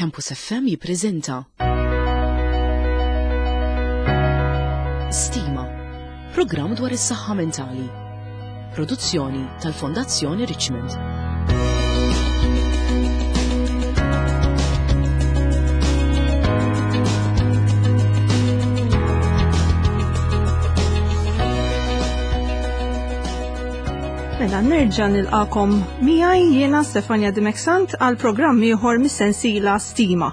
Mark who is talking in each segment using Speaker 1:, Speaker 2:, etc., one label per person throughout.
Speaker 1: Campus FM jippreżenta Stima, programm dwar is-saħħa mentali. Produzzjoni tal-Fondazzjoni Richmond.
Speaker 2: Mela nerġa' nilqakom miegħi jiena Stefania Dimeksant għal programm ieħor mis-sensiela Stima,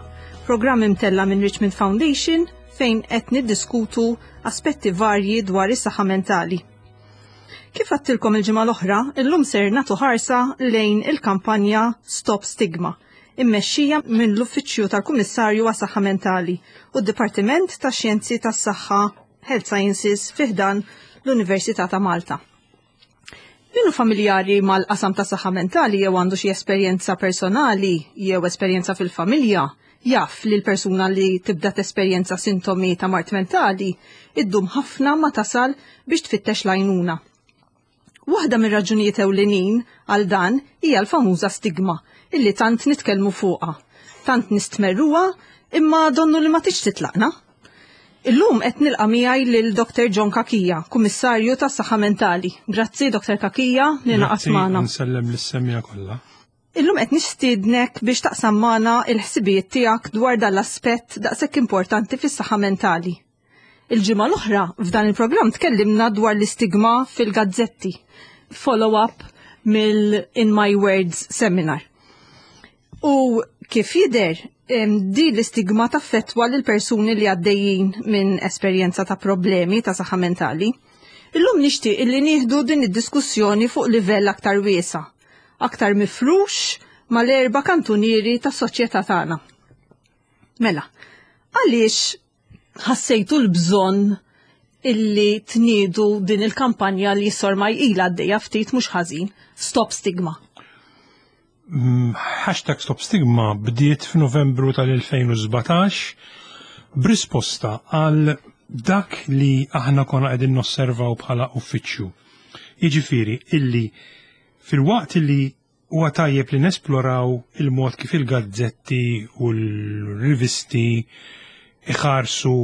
Speaker 2: programm imtella minn Richmond Foundation fejn qed niddiskutu aspetti varji dwar is-saħħa mentali. Kif għattilkom il-ġimgħa l-oħra, illum ser nagħtu ħarsa lejn il-kampanja Stop Stigma, immexxija minn l-Uffiċċju tal-Kummissarju għas-Saħħa Mentali u d-Dipartiment tax-Xjenzi tas-Saħħa Health Sciences fi ħdan l-Università ta' Malta. Min hu familjari mal-qasam ta' saħħa mentali jew għandu xi esperjenza personali jew esperjenza fil-familja, jaf li l-persuna li tibda tesperjenza sintomi ta' mard mentali iddum ħafna ma tasal biex tfittex l-għajnuna. Waħda mir-raġunijiet ewlenin għal dan hija l-famuża stigma illi tant nitkellmu fuqha, tant nistmerruha imma donnu li ma tix titlaqna. Illum qed nilqa' miegħi lil Dr. John Cachia, Kummissarju tas-Saħħa Mentali. Grazzi Dr. Cachia li naqas magħna.
Speaker 3: Nsellem lis-semmiegħa kollha.
Speaker 2: Illum qed nistiednek biex taqsam magħna il-ħsibijiet tiegħek dwar dan l-aspett daqshekk importanti fis-saħħa mentali. Il-ġimgħa l-oħra f'dan il-programm tkellimna dwar l-istigma fil-gazzetti, follow-up mill-In My Words seminar. U kif jidher, din l-istigma taffettwa lil persuni li għaddejjin minn esperjenza ta' problemi ta' saħħa mentali. Illum nixtieq illi nieħdu din id-diskussjoni fuq livell aktar wiesa', aktar mifrux mal-erba' kantunieri tas-soċjetà tagħna. Mela, għaliex ħassejtu l-bżonn illi tniedu din il-kampanja li sormai ilha għaddejja ftit mhux ħażin, Stop Stigma?
Speaker 3: Hashtag Stop Stigma bdiet f'Novembru tal-2017 b'risposta għal dak li aħna konna qegħdin nosservaw bħala uffiċċju. Jiġifieri illi filwaqt li huwa tajjeb li nesploraw il-mod kif il-gazzetti u l-rivisti iħarsu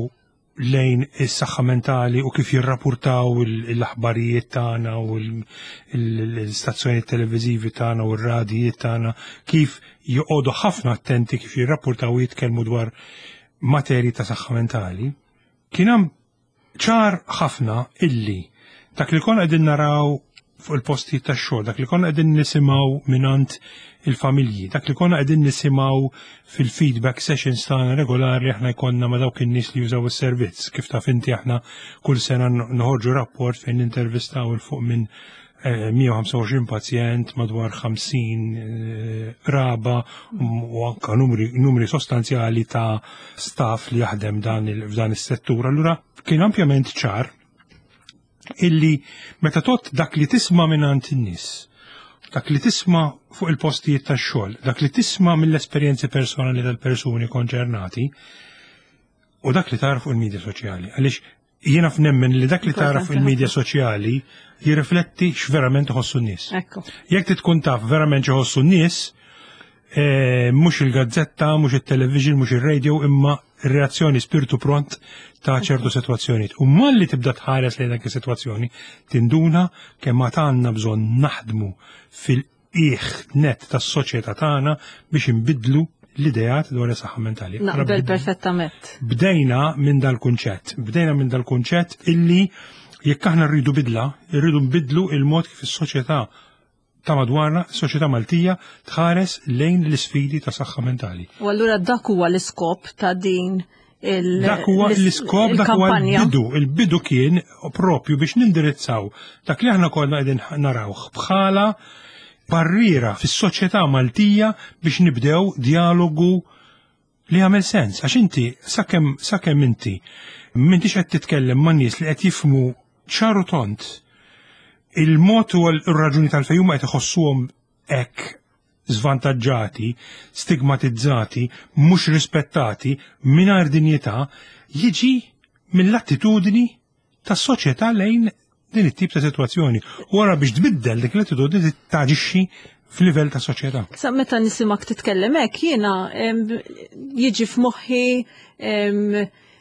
Speaker 3: lejn is-saħħa mentali u kif jirrapurtaw l-aħbarijiet tagħna u l-istazzjonijiet televiżivi tagħna u r-radijiet tagħna kif joqogħdu ħafna attenti kif jirrapurtaw u jitkellmu dwar materji ta' saħħa mentali. Kien hemm ċar ħafna illi dak li konna qegħdin naraw fuq il-postijiet tax-xogħol, dak li konna qegħdin nisimgħu mingħand il-familji, dak li konna qegħdin nisimgħu fil-feedback sessions tagħna regolari aħna jkollna ma' dawk in-nies li jużaw is-servizz. Kif taf inti aħna kull sena noħorġu rapport fejn nintervistaw il fuq minn 125 eh, pazjent, madwar 50 eh, raba u anka numri, numri sostanzjali ta' staff li jaħdem dan f'dan is-settur. Allura kien ampjament ċar illi meta tot dak li tisma' mingħand in-nies, dak li tisma' fuq il-postijiet tax-xogħol, dak li tisma' mill-esperjenzi personali tal-persuni konċernati, u dak li tara fuq il-medja soċjali. Għaliex jiena f'nemmen li dak li tara fuq il-medja soċjali jirrifletti x'verament iħossu n-nies. Jekk tkun taf verament x'iħossu n-nies, eh, mhux il-gazzetta, mhux it-television, mhux ir-radio, imma reazzjoni spiritu pront ta' ċertu sitwazzjonijiet. U malli tibda tħares lejn dak is-sitwazzjoni, tinduna kemm għad għandna bżonn naħdmu fil-qiegħ net tas-soċjetà tagħna biex inbiddlu l-ideat dwar is-saħħa mentali.
Speaker 2: Naqbel perfettament.
Speaker 3: Bdejna minn dal-kunċett, bdejna minn dal-kunċett illi jekk aħna rridu bidla, rridu nbiddlu il-mod kif is-soċjetà ta' madwarna, is-soċjetà Maltija tħares lejn l-isfidi ta' saħħa mentali.
Speaker 2: U allura dak huwa l-iskop ta' din il
Speaker 3: Dak huwa l-iskop, dak huwa l-bidu. Il-bidu kien propju biex nindirizzaw dak li aħna konna qegħdin narawh bħala barriera fis-soċjetà Maltija biex nibdew dialogu li jagħmel sens għax inti sakemm sakemm inti m'intix qed titkellem ma' nies li qed jifhmu ċar u tond il-mod u r-raġuni tal-fejn huma qed iħossuhom hekk żvantaġġati, stigmatizzati, mhux rispettati, mingħajr dinjità, jiġi mill-attitudni tas-soċjetà lejn din it-tip ta' sitwazzjoni. U wara biex tbiddel dik l-attitudni taġixxi f'livell ta' soċjetà.
Speaker 2: Sa meta nisimak titkellem hekk jiena. Jiġi f'moħħi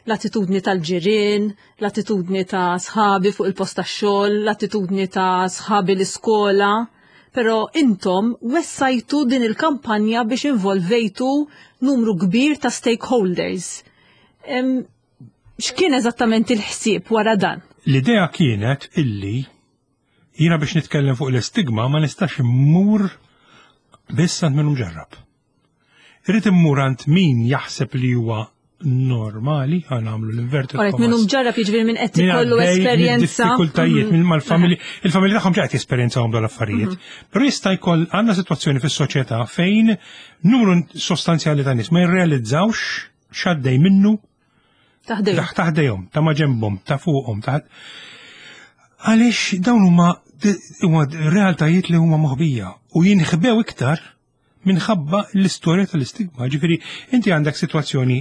Speaker 2: l-attitudni tal-ġirien, l-attitudni ta' sħabi fuq il-post tax-xogħol, l-attitudni ta' sħabi l-iskola, però intom wessajtu din il-kampanja biex involvejtu numru kbir ta' stakeholders. X'kien eżattament il-ħsieb wara dan?
Speaker 3: L-idea kienet illi jiena biex nitkellem fuq l-istigma ma nistax immur biss għand min mġarrab. Irrid immur għand min jaħseb li huwa normali, ħa nagħmlu l-inverted
Speaker 2: commas. Minn mġarrab jiġifieri minn qed ikollu esperjenza.
Speaker 3: Diffikultajiet minn mal-familji, il-familji tagħhom ġejt jesperjenzawhom dawn l-affarijiet. Però jista' jkoll għandna sitwazzjoni fis-soċjetà fejn numru sostanzjali ta' nies ma jirrealizzawx x'għaddej minnu taħdejhom, ta' maġenbhom, ta' fuqhom, ta' Għaliex dawn huma huma realtajiet li huma moħbija u jinħbew iktar minħabba l-istorja tal-istigma. Ġifieri inti għandek sitwazzjoni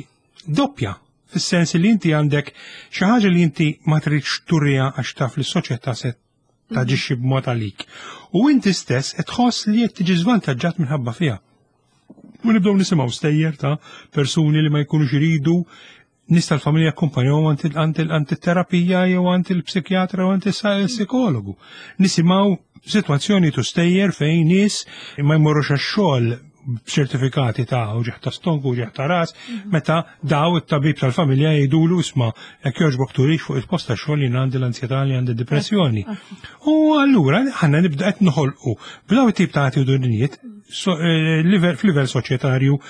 Speaker 3: doppja fis-sens li inti għandek xi ħaġa li inti ma tridx turriha għax taf li s-soċjetà se taġixxi b'mod għalik. U inti stess qed tħoss li qed tiġi żvantaġġat minħabba fiha. U nibdew nisimgħu stejjer ta' persuni li ma jkunux iridu nies tal-familja akkumpanjawhom għand it-terapija jew għand il-psikjatra jew għand il-psikologu. Nisimgħu sitwazzjoni tu stejjer fejn nies ma jmorrux għax-xogħol b'ċertifikati ta' uġigħ ta' stonku, uġigħ ta' ras, meta daw it-tabib tal-familja jgħidulu isma' jekk jogħġbok turix fuq il-post ta' xogħol jien għandi l-ansjetà li għandi depressjoni. U allura ħanna nibda qed noħolqu b'daw it-tip ta' attitudnijiet eh, f'livell soċjetarju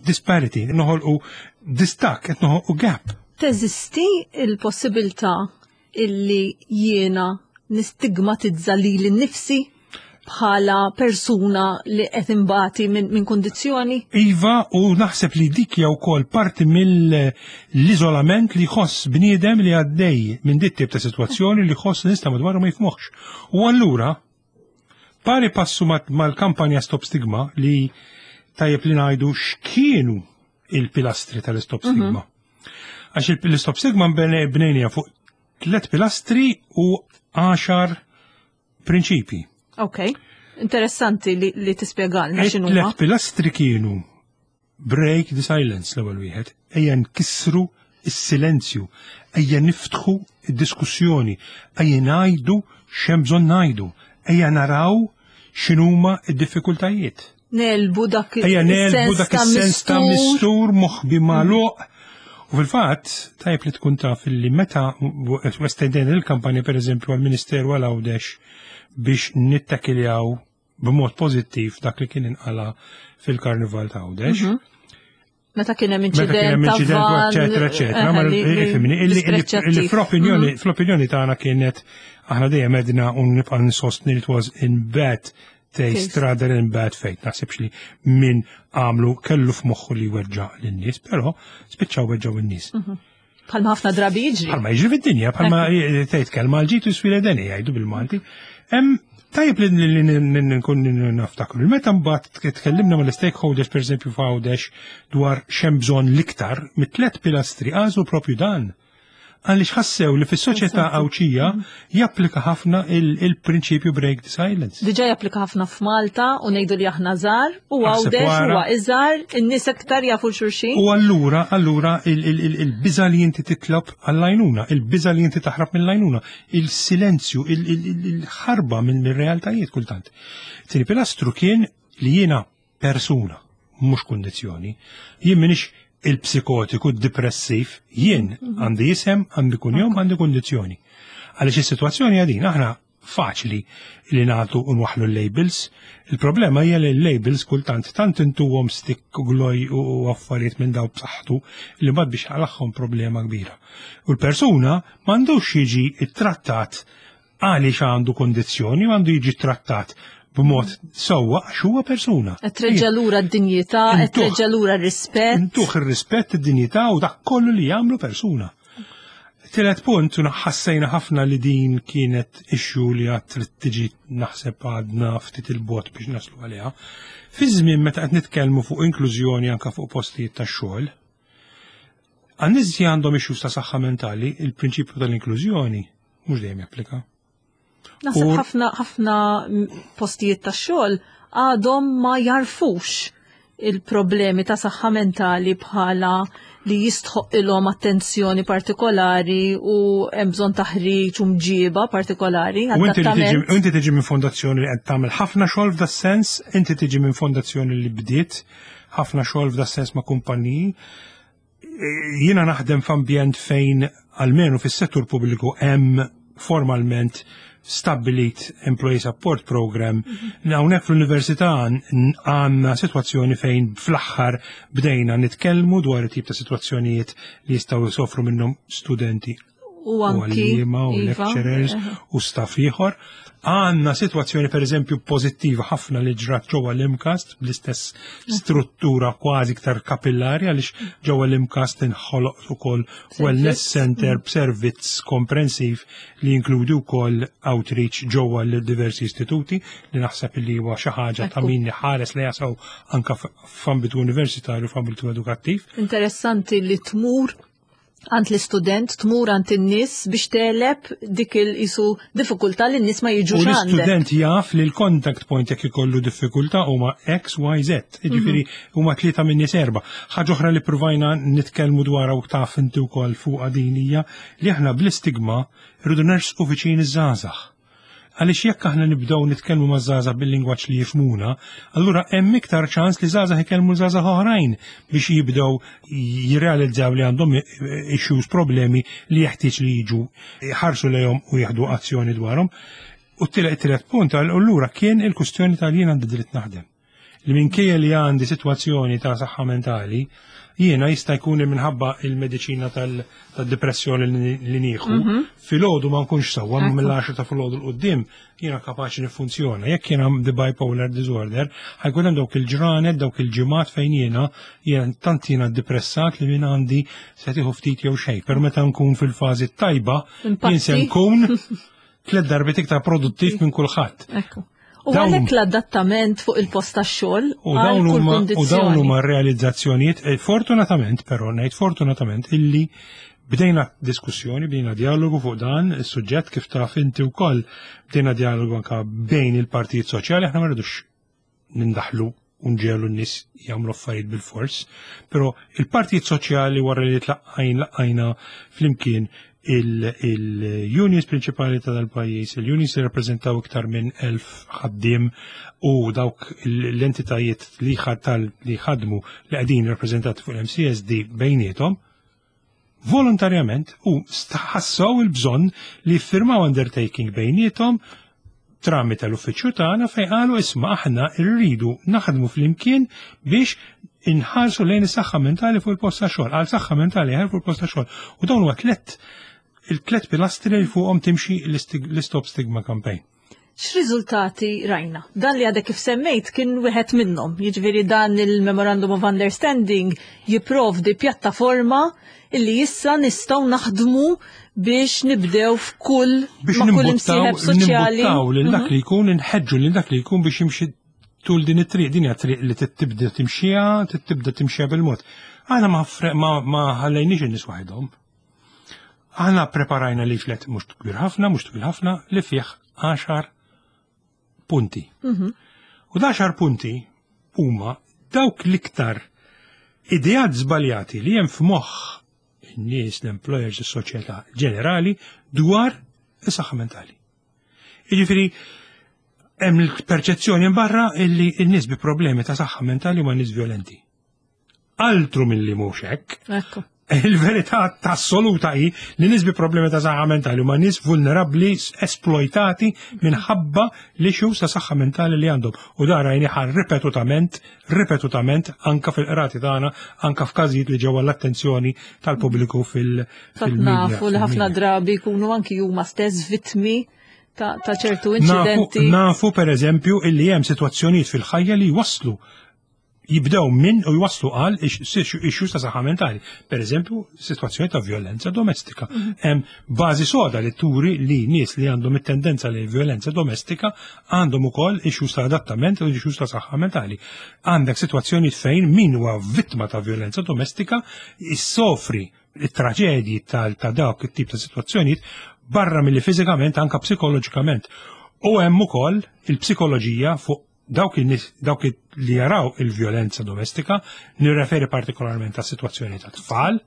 Speaker 3: disparity, noħolqu distakk, qed noħolqu gap.
Speaker 2: Teżisti il-possibilità illi jiena nistigmatizza lili nnifsi bħala persuna li qed imbati minn min kundizzjoni?
Speaker 3: Iva, u naħseb li dik hija wkoll parti mill-iżolament li jħoss bniedem li għaddej minn dit tip ta' sitwazzjoni li jħoss nista' madwaru ma jifmoħx. U allura Pari passu mal-kampanja Stop Stigma li tajjeb li ngħidu x'kienu il-pilastri tal-Stop mhm. Stigma. Għax il-Stop Stigma bnejnija fuq tlet pilastri u għaxar prinċipi.
Speaker 2: Ok, interessanti li, li tispjegalna x'inhuma.
Speaker 3: Tlet pilastri kienu Break the silence l-ewwel wieħed, ejja nkissru s-silenzju, ejja niftħu d-diskussjoni, ejja ngħidu x'hemm bżonn ngħidu, ejja naraw x'inhuma d-diffikultajiet.
Speaker 2: Nelbu dak
Speaker 3: Ejja nelbu dak is-sens ta' mistur moħbi magħluq. U fil-fatt, tajjeb li tkun taf li meta estendejna il-kampanja pereżempju għall-Ministeru għal Għawdex biex nittakiljaw b'mod pożittiv dak li kien inqala fil-Karnival ta' Għawdex. Mhm.
Speaker 2: Meta kien hemm inċident,
Speaker 3: eċetera, eċetera. Ma ifhimni, illi fl-opinjoni mhm. fl-opinjoni tagħna kienet aħna dejjem edna u nibqa' nsostni li it was in bad taste rather in bad fate. Naħsibx li min għamlu kellu f'moħħu li weġġa' lin-nies, però spiċċaw weġġgħu in-nies.
Speaker 2: Mhm. Bħalma ħafna drabi jiġri.
Speaker 3: Bħalma jiġri fid-dinja, bħalma tgħid kelma għal-ġid u swile deni jgħidu bil-Malti. Tajjeb li nkun naftakru. Meta mbagħad tkellimna mal-stakeholders pereżempju f'Għawdex dwar x'hemm bżonn l-iktar mit-tliet pilastri għażlu propju dan għaliex ħassew li fis-soċjetà Għawdxija mm. japplika ħafna il-prinċipju break the silence.
Speaker 2: Diġà japplika ħafna f'Malta u ngħidu li aħna żgħar u Għawdex huwa iżgħar, in-nies aktar jafu xulxin.
Speaker 3: U allura, allura il-biża li inti titlob għall-għajnuna, il-biża li inti taħrab mill-għajnuna, il-silenzju, il-ħarba mill-realtajiet kultant. Tieni pilastru kien li jiena persuna, mhux kundizzjoni. Jien minix il-psikotiku depressiv, jien mhm. għandi isem, għandi kunjom, għandi kundizzjoni. Għaliex is-sitwazzjoni għadin, aħna faċli li nagħtu u nwaħlu l-labels. Il-problema hija li l-labels kultant tant intuhom stick u gloj u affarijiet minn daw b'saħħtu li mbagħad biex għalaħħom problema kbira. U l-persuna m'għandux jiġi ittrattat għaliex għandu kondizzjoni u għandu jiġi trattat b'mod sewwa għax huwa persuna.
Speaker 2: Qed treġġa' lura d-dinjità, qed treġġa' lura r-rispett.
Speaker 3: Intuh ir-rispett, id-dinjità u dak kollu li jagħmlu persuna. Tielet punt, u ħassejna ħafna li din kienet issue li għad trid tiġi naħseb għadna ftit il-bot biex naslu għaliha. Fi żmien meta qed nitkellmu fuq inklużjoni anke fuq postijiet tax-xogħol, għan-nies li għandhom issues ta' saħħa mentali, il-prinċipju tal-inklużjoni mhux dejjem japplika.
Speaker 2: Naħseb ħafna ħafna postijiet tax-xogħol għadhom ma jarfux. il-problemi ta' saħħa mentali bħala li jistħoq ilhom attenzjoni partikolari u hemm bżonn taħriġ u mġiba partikolari.
Speaker 3: U inti tiġi minn fondazzjoni li qed tagħmel ħafna xogħol f'da sens, inti tiġi minn fondazzjoni li bdiet ħafna xogħol f'da sens ma' kumpaniji. Jiena naħdem f'ambjent fejn almenu fis-settur pubbliku hemm formalment stabbilit Employee Support Program. Hawnhekk fl-università għandna sitwazzjoni fejn fl-aħħar bdejna nitkellmu dwar it-tip ta' sitwazzjonijiet li jistgħu jsofru minnhom studenti
Speaker 2: u anki
Speaker 3: u iva, lecturers u staff ieħor. Għandna sitwazzjoni pereżempju pożittiva ħafna li ġrat ġewwa l-MCAST bl-istess struttura kważi iktar kapillari għaliex ġewwa l-MCAST inħoloq ukoll wellness center b'servizz komprensiv li jinkludi wkoll outreach ġewwa l-diversi istituti li naħseb li huwa xi ħaġa ta' min ħares li jasaw anka f'ambitu universitarju f'ambitu edukattiv.
Speaker 2: Interessanti li tmur għand l-istudent, tmur għand in-nies biex teleb dik il-isu diffikultà li n-nies ma jiġux
Speaker 3: U l-istudent jaf li l-contact point jekk ikollu diffikultà huma X, Y, Z. Jiġifieri huma tlieta minn nies erba'. Ħaġa oħra li pruvajna nitkellmu dwarha u taf inti wkoll fuqha din hija li aħna bl-istigma rridu nersqu viċin iż-żgħażagħ. Għaliex jekk aħna nibdew nitkellmu ma' żgħażagħ bil-lingwaġġ li jifhmuna, allura hemm iktar ċans li żgħażagħ ikellmu żgħażagħ oħrajn biex jibdew jirrealizzaw li għandhom issues, problemi li jeħtieġ li jiġu ħarsu lejhom u jieħdu azzjoni dwarhom. U t-tielet punt allura kien il-kwistjoni tal jien għandi dritt naħdem. Li minkejja li għandi sitwazzjoni ta' saħħa mentali, jiena jista' jkun minħabba il-mediċina tad-depressjoni li nieħu, filgħodu ma nkunx sewwa, ma mill-10 ta' filgħodu 'l quddiem jiena kapaċi niffunzjona. Jekk jiena għandi bipolar disorder, ħajkun hemm dawk il-ġranet, dawk il-ġimgħat fejn jiena jien tant jiena depressat li minn għandi se tieħu ftit jew xejn. Però meta nkun fil-fażi tajba, jien se nkun tliet darbiet iktar produttiv minn kulħadd.
Speaker 2: U għalhekk l-adattament fuq il-post tax-xogħol
Speaker 3: U dawn huma u dawn huma realizzazzjonijiet, eh, fortunatament però ngħid fortunatament illi bdejna diskussjoni, bdejna dialogu fuq dan is-suġġett kif taf inti wkoll bdejna dialogu anka bejn il-partijiet soċjali aħna ma rridux nindaħlu u nġegħlu n-nies jagħmlu affarijiet bil-fors, però il-partijiet soċjali wara li tlaqqajn laqajna flimkien il-unions prinċipali ta' dal-pajjiż, il-unions li rappreżentaw iktar minn 1000 ħaddiem u dawk l-entitajiet li ħadmu li qegħdin rappreżentati fuq l-MCSD bejniethom, volontarjament u ħassew il-bżonn li jiffirmaw undertaking bejniethom tramite l-uffiċċju tagħna fejn qalu isma' aħna rridu naħdmu flimkien biex inħarsu lejn is-saħħa mentali fuq il-post ta' xogħol, għal saħħa mentali aħjar fuq il-post ta' xogħol. U dawn huwa tliet il-tliet pilastri li fuqhom timxi l-Stop Stigma Campaign.
Speaker 2: X'riżultati rajna? Dan li għadek kif semmejt kien wieħed minnhom. Jiġifieri dan il-Memorandum of Understanding jipprovdi pjattaforma illi issa nistgħu naħdmu biex nibdew f'kull
Speaker 3: biex
Speaker 2: ma' kull imsieħeb soċjali.
Speaker 3: Nimbuttaw lil dak li jkun inħeġġu lil dak li jkun biex jimxi tul din it-triq, din hija triq li tibda timxiha, tibda timxiha bil-mod. Aħna ma ma ħallejniex in-nies waħedhom. Aħna preparajna leaflet mhux kbir ħafna, mhux twil ħafna, li fih 10 punti. U 10 punti huma dawk l-iktar ideat żbaljati li hemm f'moħħ in-nies, l-employers, is-soċjetà ġenerali dwar is-saħħa mentali. Jiġifieri hemm il-perċezzjoni barra illi n-nies bi problemi ta' saħħa mentali huma nies violenti. Altru milli mhux hekk.
Speaker 2: Ekku.
Speaker 3: Il-verità assoluta hi li nies bi problemi ta' saħħa mentali huma nies vulnerabbli, esploitati minħabba l-issues ta' saħħa mentali li għandhom. U dan rajniha ripetutament, ripetutament anka fil-qrati tagħna, anka f'każijiet li ġew l-attenzjoni tal-pubbliku fil-media.
Speaker 2: Nafu li ħafna drabi jkunu anki huma stess vittmi ta' ċertu incidenti.
Speaker 3: Nafu per eżempju illi hemm sitwazzjonijiet fil-ħajja li waslu jibdew minn u jwaslu għal issues ta' saħħa mentali. Per eżempju, situazzjoni ta' violenza domestika. Hemm bażi soda li turi li nies li għandhom it-tendenza li violenza domestika għandhom ukoll issues ta' adattament u issues ta' saħħa mentali. Għandek situazzjoni fejn min huwa vittma ta' violenza domestika jissofri it-traġedji ta' dawk it-tip ta' situazzjonijiet barra milli fiżikament anka psikoloġikament. U hemm ukoll il-psikoloġija fuq Dawk in-nies, dawk li jaraw il-vjolenza domestika, nirreferi partikolarment għas sitwazzjoni ta' tfal,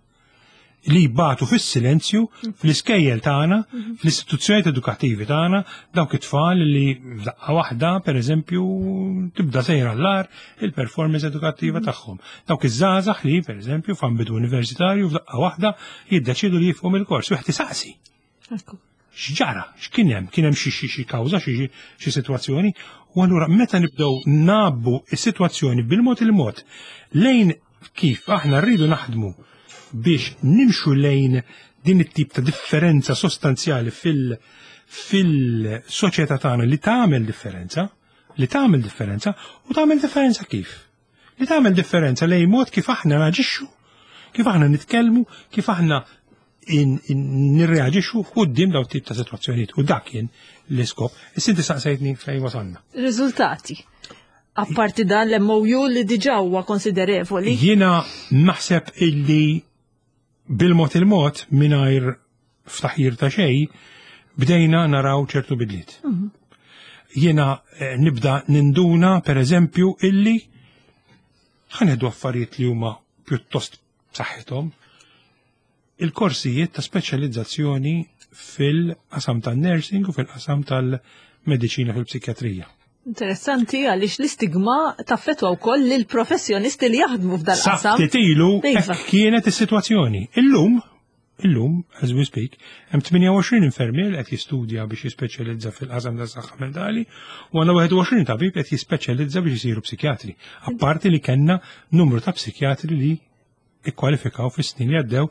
Speaker 3: li jbatu fis-silenzju fl-iskejjel tagħna, fl-istituzzjonijiet edukattivi tagħna, dawk it-tfal li f'daqqa waħda, pereżempju, tibda sejra l-ar il-performance edukattiva tagħhom. Dawk iż-żgħażagħ li, pereżempju, f'ambitu universitarju f'daqqa waħda jiddeċidu li jifqu mill-kors, wieħed isaqsi. X'ġara? X'kien hemm? Kien hemm xi xi kawża, xi sitwazzjoni? U allura meta nibdew nabbu is-sitwazzjoni bil-mod il-mod lejn kif aħna rridu naħdmu biex nimxu lejn din it-tip ta' differenza sostanzjali fil- fil-soċjetà tagħna li tagħmel differenza, li tagħmel differenza u tagħmel differenza kif? Li tagħmel differenza lejn mod kif aħna naġixxu, kif aħna nitkellmu, kif aħna nirreaġixxu quddiem daw tip ta' sitwazzjonijiet u dak kien l-iskop. Issa inti saqsejtni fejn wasalna.
Speaker 2: Riżultati. Apparti dan l-MOU li diġà huwa konsiderevoli.
Speaker 3: Jiena naħseb illi bil-mod il-mod mingħajr ftaħir ta' xejn bdejna naraw ċertu bidliet. Jiena nibda ninduna per eżempju illi ħa nieħdu affarijiet li huma pjuttost b'saħħithom il-korsijiet ta' speċjalizzazzjoni fil-qasam tan-nursing u fil-qasam tal-mediċina fil-psikjatrija.
Speaker 2: Interessanti għaliex l-istigma taffetwa wkoll lil professjonisti li jaħdmu f'dal-qasam.
Speaker 3: Sa ilu hekk kienet is-sitwazzjoni. Illum, illum, as we speak, hemm 28 infermier li qed jistudja biex jispeċjalizza fil-qasam tas-saħħa mentali u għandna 21 tabib qed jispeċjalizza biex isiru psikjatri. Apparti li kellna numru ta' psikjatri li ikkwalifikaw fis-snin li għaddew.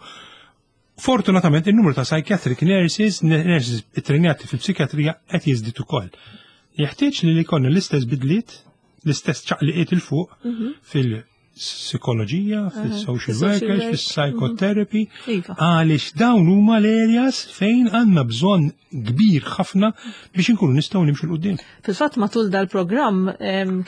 Speaker 3: Fortunatament il-numru ta' psychiatric nurses, nurses ittrenjati fil-psikjatrija qed jiżdied ukoll. Jeħtieġ li jkollna l-istess bidliet, l-istess ċaqliqiet 'il fuq fil-psikoloġija, fil-social workers, fil-psychotherapy, għaliex dawn huma l-areas fejn għandna bżonn kbir ħafna biex inkunu nistgħu nimxu 'l quddiem.
Speaker 2: Fil-fatt matul dal-programm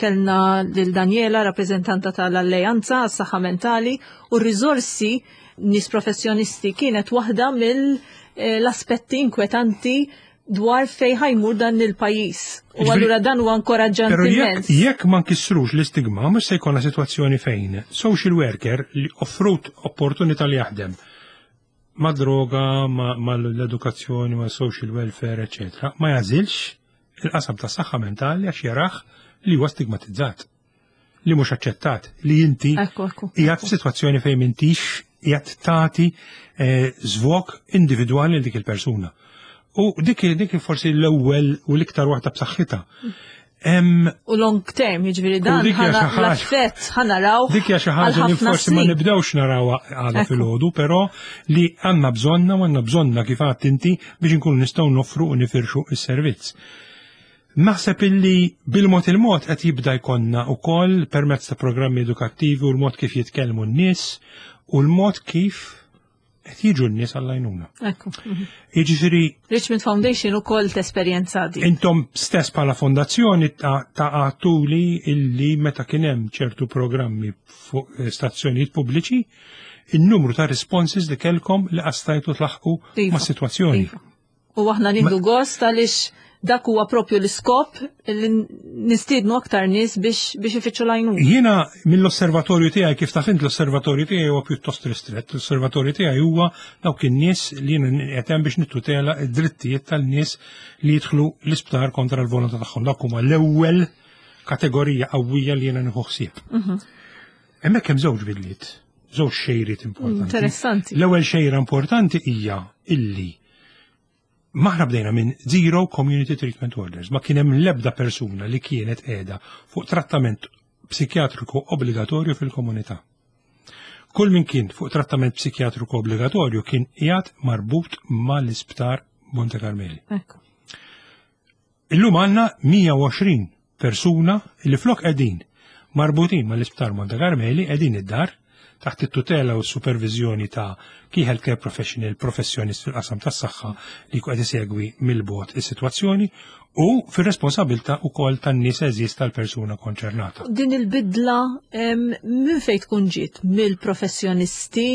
Speaker 2: kellna lil Daniela, rappreżentanta tal-Alleanza għas-Saħħa Mentali, u r-riżorsi nies professjonisti kienet waħda mill-aspetti inkwetanti dwar fej ħa jmur dan il-pajjiż. U allura dan huwa inkoraġġanti immens.
Speaker 3: Jekk ma nkissrux l-istigma, mhux se jkollna sitwazzjoni fejn social worker li offrut opportunità li jaħdem ma' droga, ma' l-edukazzjoni, ma' social welfare, eccetera, ma jagħżilx il-qasam ta' saħħa mentali għax jarah li huwa stigmatizzat, li mhux aċċettat, li inti qiegħed f'sitwazzjoni fejn m'intix qiegħed tagħti żvok individwali lil dik il-persuna. U dik forsi l-ewwel u l-iktar waħda b'saħħitha.
Speaker 2: U long term, jiġifieri dan l-effett ħa naraw.
Speaker 3: Dik hija xi ħaġa li forsi ma nibdewx naraw għada filgħodu, però li għandna bżonna u għandna bżonna kif għedt inti biex inkunu nistgħu noffru u nifirxu s-servizz. Naħseb illi bil-mod il-mod qed jibda jkollna wkoll permezz ta' programmi edukattivi u l-mod kif jitkellmu n-nies u l-mod kif qed jiġu n-nies għall-għajnuna.
Speaker 2: Ekku.
Speaker 3: Jiġifieri
Speaker 2: Richmond Foundation ukoll tesperjenza di.
Speaker 3: Intom stess bħala fondazzjoni ta' għatuli illi meta kien hemm ċertu programmi fuq stazzjonijiet pubbliċi, il-numru ta' responses li kellkom li qastajtu tlaħqu ma' sitwazzjoni.
Speaker 2: U aħna nieħdu gost għaliex dak huwa propju l-iskop li nistiednu aktar nies biex ifittxu l-għajnuna.
Speaker 3: Jiena mill-osservatorju tiegħi, kif taf int, l-osservatorju tiegħi huwa pjuttost ristrett. L-osservatorju tiegħi huwa dawk in-nies li jiena qed hemm biex nittutela d-drittijiet tal-nies li jidħlu l-isptar kontra l-volontà tagħhom. Dawk huma l-ewwel kategorija qawwija li jiena nieħu ħsieb. Hemmhekk hemm żewġ bidliet, żewġ xejriet importanti.
Speaker 2: Interessanti.
Speaker 3: L-ewwel xejra importanti hija illi aħna bdejna minn zero community treatment orders. Ma kien hemm l-ebda persuna li kienet qiegħda fuq trattament psikjatriku obbligatorju fil-komunità. Kull min kien fuq trattament psikjatriku obbligatorju kien qiegħed marbut mal-isptar Monte Carmeli. Illum għandna 120 persuna li flok qegħdin marbutin mal-isptar Monte Carmeli qegħdin id-dar taħt it-tutela u s-supervizjoni ta' key healthcare professional, professjonist fil-qasam tas-saħħa li qed isegwi mill-bogħod is-sitwazzjoni. U fir-responsabilità wkoll tan-nies għeżież tal-persuna konċernata.
Speaker 2: Din il-bidla minn fejn tkun ġiet? Mill-professjonisti?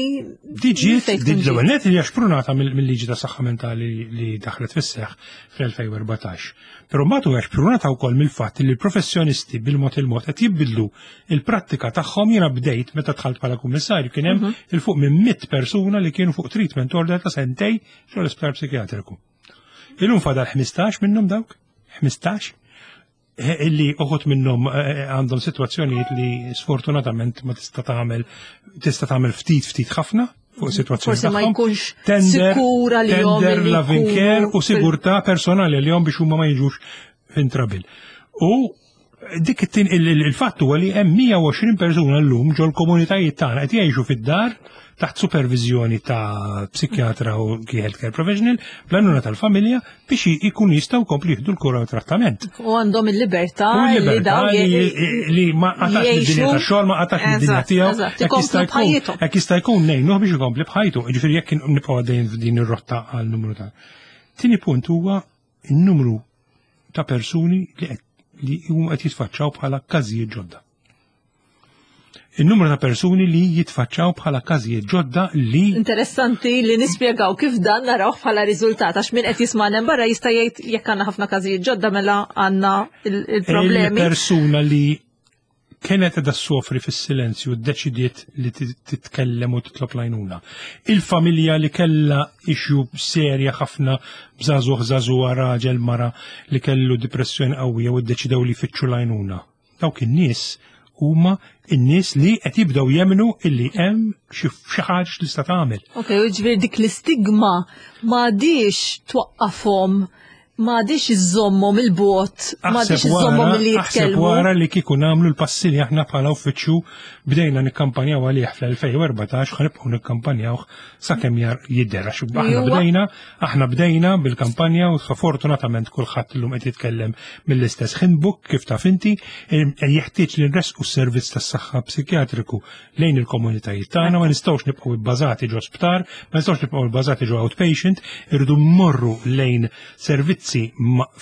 Speaker 3: Di ġiet, din l-ewwel net hija xprunata mill-liġi ta' saħħa mentali li daħlet fis-seħħ fl-2014. Però mbagħad huwa xprunata wkoll mill-fatt li l-professjonisti bil-mod il-mod qed jibdlu il-prattika tagħhom. Jiena bdejt meta dħalt bħala kummissarju kien hemm mhm. il fuq minn 100 persuna li kienu fuq treatment order ta' sentej ġol-isptar psikjatriku. Illum fadal 15 minnhom dawk, 15, eh, illi uħut minnhom eh, għandhom sitwazzjonijiet li sfortunatament ma tista' tagħmel tista' tagħmel ftit ftit ħafna fuq sitwazzjoni.
Speaker 2: Forsi ma jkunx sikura li
Speaker 3: tender loving care u sigurtà personali li biex huma ma jiġux in trouble. U dik il-fatt huwa li hemm 120 persuna llum ġol-komunitajiet tagħna qed jgħixu fid-dar taħt supervizjoni ta' psikjatra u healthcare professional bl-għajnuna tal-familja biex ikun jistgħu jkomplu jieħdu l-kura u trattament.
Speaker 2: U għandhom il-libertà li
Speaker 3: dawn li ma qatax id-dinja tax-xogħol, ma qatax id-dinja tiegħu. Hekk jista' jkun ngħinuh biex ikompli b'ħajtu. Jiġifieri jekk nibqgħu għaddejjin f'din ir-rotta għal numru ta'. Tieni punt huwa n-numru ta' persuni li qed li huma qed jitfaċċaw bħala każijiet ġodda. Il-numru ta' persuni li jitfaċċaw bħala każijiet ġodda li
Speaker 2: Interessanti li nispjegaw kif dan naraw bħala riżultat għax min qed jisma' barra jista' jgħid jekk għandna ħafna każijiet ġodda mela għandna il-problemi.
Speaker 3: Il-persuna li kienet qiegħda ssofri fis-silenzju ddeċidiet li titkellem u titlob l-għajnuna. Il-familja li kellha issue serja ħafna b'żagħżugħ żagħżugħa raġel mara li kellu depressjoni qawwija u ddeċidew li jfittxu l-għajnuna. Dawk in-nies huma n-nies li qed jibdew jemmnu illi hemm xi ħaġa li tista' tagħmel.
Speaker 2: Ok, u ġifieri dik l-istigma m'għadix twaqqafhom m'għadix iżommhom il-bot, m'għadix iżommhom li jitkellmu.
Speaker 3: Wara li kieku nagħmlu l-passi li aħna bħala uffiċċju bdejna nikkampanjaw għalih fl-2014 ħa nibqgħu nikkampanjaw sakemm jar jidher għax aħna bdejna, aħna bdejna bil-kampanja u fortunatament kulħadd illum qed jitkellem mill-istess handbook kif taf inti jeħtieġ li nresqu s-servizz tas-saħħa psikjatriku lejn il-komunitajiet tagħna, ma nistgħux nibqgħu bbażati ġo sptar, ma nistgħux nibqgħu bbażati ġo outpatient, irridu mmorru lejn servizzi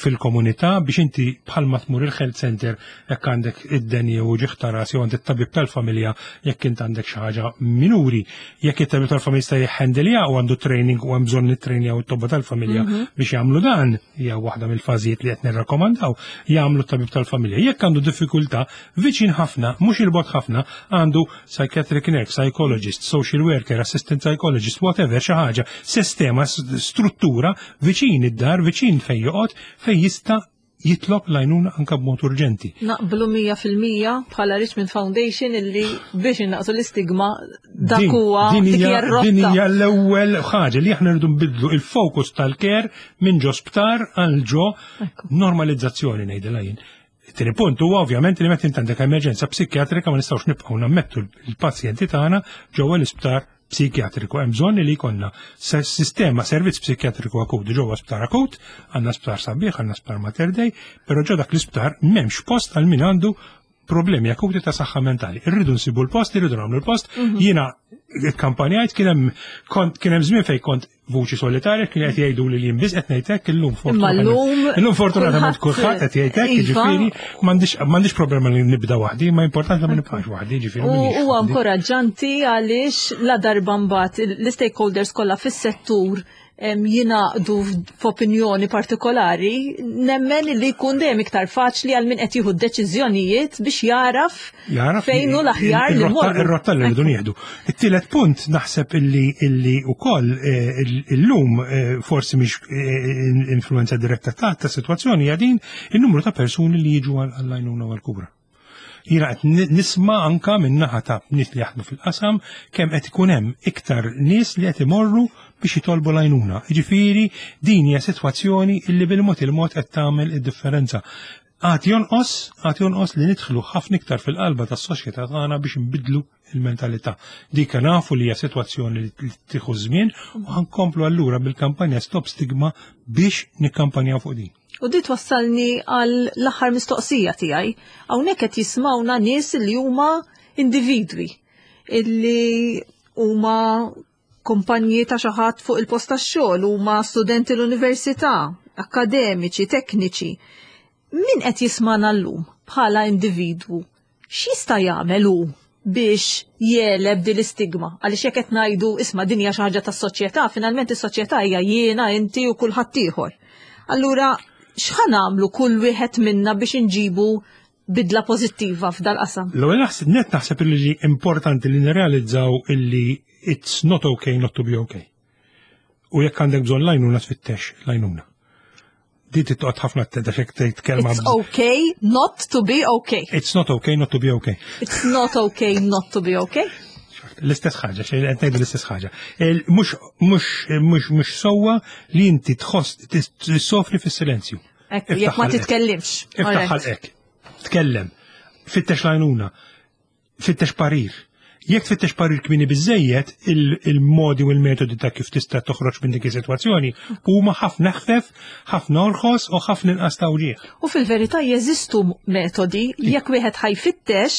Speaker 3: fil-komunità biex inti bħalma tmur il-health center jekk għandek id-deni u ġieħ ta' ras jew għand it-tabib tal-familja jekk int għandek xi ħaġa minuri. Jekk it-tabib tal-familja jista' jihhandilja u għandu training u hemm bżonn nittrejnjaw it-tobba tal-familja mhm. biex jagħmlu dan, hija waħda mill-fażijiet li qed nirrakkomandaw, jagħmlu t-tabib tal-familja. Jekk għandu diffikultà, Viċin ħafna, mhux il-bogħod ħafna, għandu psychiatric nurse, psychologist, social worker, assistant psychologist, whatever, xi ħaġa, sistema, struttura viċin id-dar, viċin fejn joqgħod, fejn jista' jitlob l-għajnuna anka b'mod urġenti.
Speaker 2: Naqblu 100% bħala Richmond Foundation illi biex innaqsu l-istigma dak huwa
Speaker 3: din hija l-ewwel ħaġa li aħna rridu nbidlu il-fokus tal-care minn ġo sptar għal ġo normalizzazzjoni ngħidilha jien. It-tieni punt huwa ovvjament li meta int għandek emerġenza psikjatrika ma nistgħux nibqgħu nammettu l-pazjenti tagħna ġewwa l-isptar psikjatriku. Hemm bżonn li jkollna sistema servizz psikjatriku akut ġewwa sptar akut, għandna sptar sabiħ, għandna sptar Mater Dei, però ġo dak l-isptar m'hemmx post għal min għandu problemi akuti ta' saħħa mentali. Irridu nsibu l-post, irridu nagħmlu l-post. Mhm. Jiena kampanjajt kien hemm kont kien hemm żmien fejn kont vuċi solitarja kien qed jgħidu li jien biss qed ngħid hekk illum
Speaker 2: fortunatament.
Speaker 3: Illum fortunatament kulħadd qed jgħid hekk, iva. jiġifieri m'għandix m'għandix problema li nibda waħdi, ma importanti ma nibqax waħdi, jiġifieri.
Speaker 2: Huwa inkoraġġanti għaliex la darba mbagħad l-stakeholders kollha fis-settur jingħaqdu f'opinjoni partikolari, nemmen li jkun dejjem iktar faċli għal min qed jieħu deċiżjonijiet biex jaraf fejn hu l-aħjar li
Speaker 3: morru. Ir-rotta li rridu nieħdu. It-tielet punt naħseb illi illi wkoll eh, illum eh, forsi mhix eh, influenza diretta ta' ta' sitwazzjoni hija din in-numru ta' persuni li jiġu għall-għajnuna u għall-kura. Jiena qed nisma' anka minn naħa ta' nies li jaħdmu fil-qasam kemm qed ikun hemm iktar nies li qed imorru biex jitolbu l-għajnuna. Jiġifieri din hija sitwazzjoni illi bil-mod il-mod qed tagħmel id-differenza. Għad jonqos, għad jonqos li nidħlu ħafna iktar fil-qalba tas-soċjetà tagħna biex nbiddlu il-mentalità. Dik nafu li hija sitwazzjoni li tieħu żmien u ħankomplu allura bil-kampanja Stop Stigma biex nikkampanjaw fuq din.
Speaker 2: U di twassalni għal l-aħħar mistoqsija tiegħi. Hawnhekk qed jismawna nies li huma individwi illi huma kumpanji ta' xi ħadd fuq il-post tax-xogħol, huma studenti l-università. akademiċi, tekniċi. Min qed jismana llum bħala individwu, x'jista' jagħmel hu biex jegħleb din l-istigma? Għaliex jekk qed ngħidu isma' din hija xi ħaġa tas-soċjetà, finalment is-soċjetà hija jiena, inti u kulħadd ieħor. Allura x'ħa nagħmlu kull wieħed minna biex inġibu bidla pożittiva f'dal-qasam?
Speaker 3: L-ewwel naħseb net naħseb li importanti li nirrealizzaw illi it's not okay not to be okay. U jekk għandek bżonn l-għajnuna tfittex l-għajnuna. Di titqgħod ħafna attenta x'hekk tgħid kelma.
Speaker 2: It's okay not to be okay.
Speaker 3: It's not okay not to be okay.
Speaker 2: It's not okay not to be okay.
Speaker 3: L-istess ħaġa, xejn qed ngħidu l-istess ħaġa. Mhux mhux mhux mhux sewwa li inti tħoss tissofri fis-silenzju.
Speaker 2: Ekku, jekk ma titkellimx.
Speaker 3: Iftaħ ħalqek. Tkellem. Fittex l-għajnuna. Fittex parir. Jekk tfittex parir kmieni biżejjed, il-modi u l-metodi ta' kif tista' toħroġ minn dik is-sitwazzjoni huma ħafna ħfef, ħafna orħos u ħafna inqas ta' wġigħ.
Speaker 2: U fil-verità jeżistu metodi jekk wieħed ħajfittex,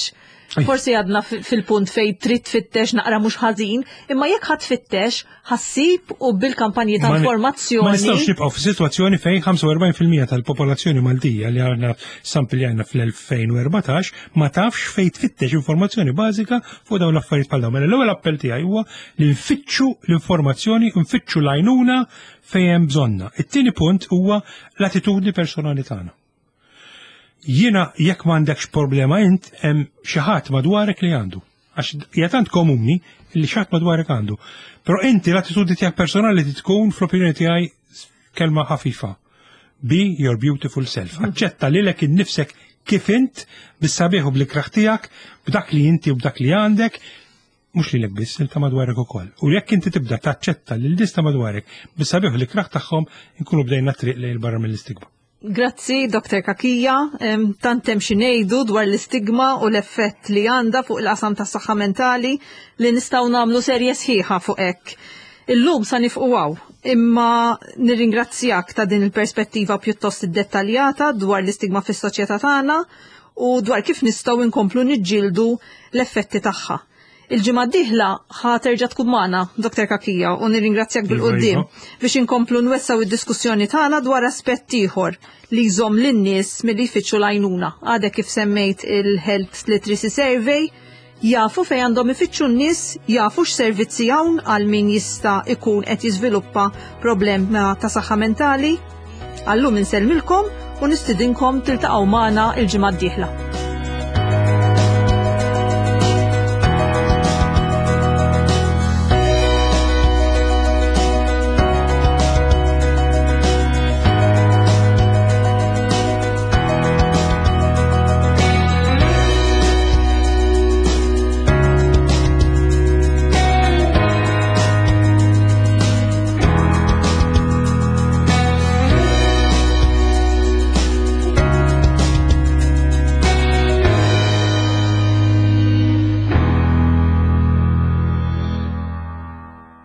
Speaker 2: forsi għadna fil-punt fejn trid tfittex naqra mhux ħażin, imma jekk ħadd tfittex, ħassib u bil-kampanji ta' informazzjoni.
Speaker 3: Ma nistgħux nibqgħu f'sitwazzjoni fejn 45% tal-popolazzjoni Maltija li għandna sample li għandna fl-2014 ma tafx fejn tfittex informazzjoni bażika fuq dawn l-affarijiet bħal dawn. Mela l-ewwel appell tiegħi huwa li nfittxu l-informazzjoni, nfittxu l-għajnuna fejn hemm bżonna. It-tieni punt huwa l-attitudni personali tagħna. Jiena jekk m'għandekx problema int hemm xi ħadd madwarek li għandu. Għax hija tant komuni li xi ħadd madwarek għandu. Però inti l-attitudni tiegħek personali tkun fl-opinjoni tiegħi kelma ħafifa. Be your beautiful self. Mhm. Aċċetta lilek innifsek kif int bis-sabiħ u bl-ikraħ tiegħek, b'dak li inti u b'dak li għandek, mhux lilek biss, il ta' madwarek ukoll. U jekk inti tibda taċċetta lil nies ta' madwarek bis-sabiħ u l-ikraħ tagħhom, inkunu bdejna triq lejn barra mill-istigma.
Speaker 2: Grazzi, Dr. Cachia. Tant hemm xi ngħidu dwar l-istigma u l-effett li għandha fuq il-qasam tas-saħħa mentali li nistgħu nagħmlu serje sħiħa fuq hekk. Illum sa nifqu hawn, imma nirringrazzjak ta' din il-perspettiva pjuttost iddettaljata dwar l-istigma fis-soċjetà tagħna u dwar kif nistgħu nkomplu niġġieldu l-effetti tagħha. Il-ġimgħa d-dieħla ħa terġa' tkun magħna, Dr. Cachia, u nirringrazzjak iva, bil-quddiem iva. biex inkomplu nwessaw id-diskussjoni tagħna dwar aspett ieħor li jżomm lin-nies milli jfittxu l-għajnuna. Għadek kif semmejt il-Health Literacy Survey, jafu fejn għandhom ifittxu n-nies, jafu x'servizzi hawn għal min jista' ikun qed jiżviluppa problema ta' saħħa mentali. Għallum insellmilkom u nistidinkom tiltaqgħu magħna il-ġimgħa d-dieħla.